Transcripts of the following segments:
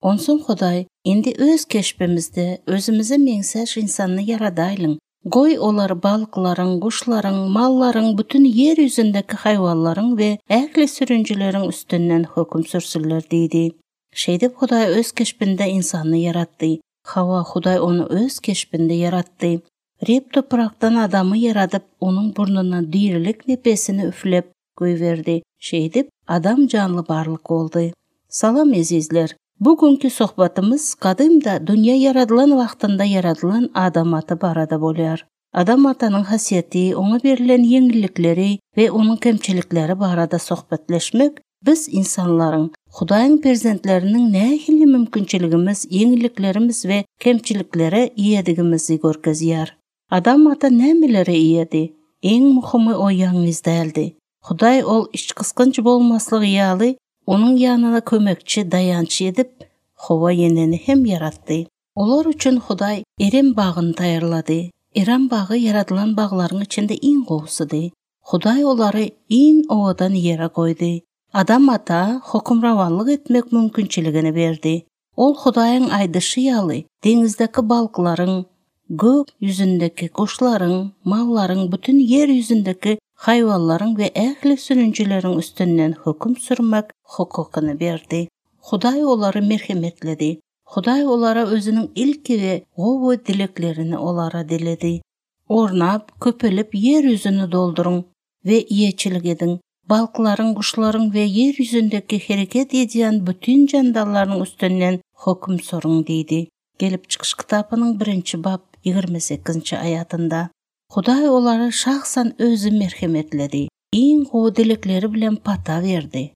Onson Huday, indi öz keşbimizde özümüze mengsəş insanı yaradaylın. Goy olar balıkların, kuşların, malların, bütün yeryüzündeki hayvanların ve ähli sürüncülerin üstünden hüküm sürsünler deydi. Şeydip Huday öz keşbinde insanı yarattı. Hava Huday onu öz keşbinde yarattı. Rep topraktan adamı yaratıp onun burnuna dirilik nefesini üflep koyverdi. Şeydip adam canlı barlık oldu. Salam azizler. Bugünkü sohbatımız kadimda dünya yaradılan vaxtında yaradılan adam atı barada bolar. Adam atanın hasiyeti, ona verilen yenilikleri ve onun kemçilikleri barada sohbetleşmek biz insanların, Hudayın perzentlerinin nähili mümkünçiligimiz, yeniliklerimiz ve kemçiliklere iyedigimizi görkezýär. Adam ata nämelere iyedi? Eň muhimy o ýalňyz däldi. Huday ol iç kıskanç bolmaslygy ýaly onun yanına kömekçi, dayançı edip Hova yeneni hem yaratdı. Olar üçün Huday Erem bağını tayarladı. Erem bağı yaradılan bağların içinde en gowsudy. Huday olary en owadan yere koydu. Adam ata hukmrawanlyk etmek mümkünçiligini berdi. Ol Hudaýyň aýdyşy ýaly deňizdeki balıklaryň, gök yüzündeki kuşların, malların, bütün yer yüzündeki hayvanların ve ähli sürüncülerin üstünden hüküm sürmek hukukunu berdi. Huday olary merhemetledi. Huday olara özünün ilki ve gowy dileklerini olara diledi. Ornap, köpelip yer yüzünü doldurun ve iyeçilik edin. Balıkların, kuşların ve yer yüzündeki hareket ediyen bütün candarların üstünden hüküm sorun deydi. Gelip çıkış kitabının 1. bab 28. ayatında. Huday olary şahsan özü merhemetledi. Iň gowy dilekleri bilen pata verdi.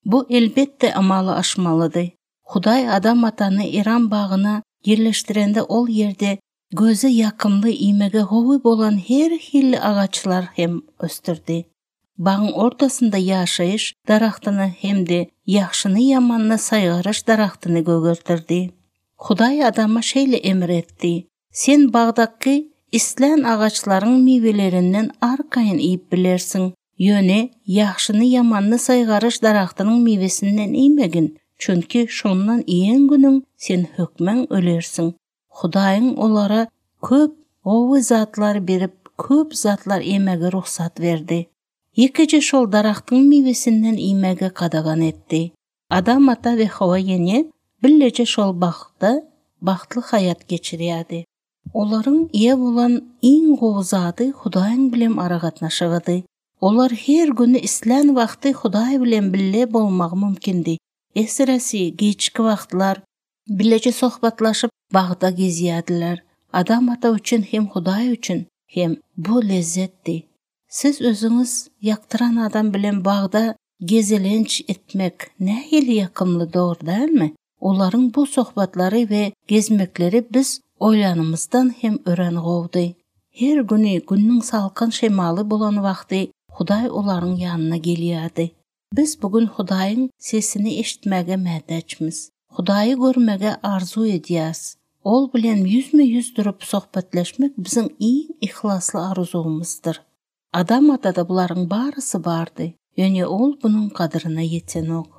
Bu elbette amaly aşmalydy. Huday adam atany Eram bağına yerleştirende ol yerde gözü yakımlı imege gowy bolan her hilli ağaçlar hem östürdi. Bağın ortasında yaşayış daraxtyny hemde yaxşyny ýamanly saýgaryş daraxtyny gögertirdi. Huday adama şeýle emir etdi. Sen bağdaky islen ağaçların mivelerinden arkayın iyip bilersin. Yöne yaxşyny ýamanly saýgaryş daraxtynyň mivesinden iýmegin. Çünki şondan iýen günüň sen hökmen ölersin. Hudaýyň olara köp gowy zatlar berip, köp zatlar emege ruhsat verdi. Ýekiji şol daraxtyň mivesinden iýmege kadagan etdi. Adam ata we Hawa ýene billeje şol bagda bagtly hayat geçirýärdi. Olaryň iýe bolan iň gowy zady Hudaýyň bilen aragatnaşygydy. Olar her günü islen wagty Hudaý bilen bille bolmagy mümkindi. Esiresi geçki wagtlar billeje sohbatlaşyp bagda gezýärdiler. Adam ata üçin hem Hudaý üçin hem bu lezzetdi. Siz özüňiz ýaktyran adam bilen bagda gezelenç etmek nähili ýakymly dogry dälmi? Olaryň bu sohbatlary we gezmekleri biz oýlanymyzdan hem ören gowdy. Her güni günniň salkyn şemaly bolan wagty Hudaý olaryň ýanyna gelýärdi. Biz bugün Hudaýyň sesini eşitmäge mätäçmiz. Hudaýy görmege arzu edýäs. Ol bilen yüzme-yüz durup sohbetleşmek biziň iň ihlasly arzumyzdyr. Adam atada bularyň barysy bardy. Ýöne ol bunyň kadyryna ýetsen ok.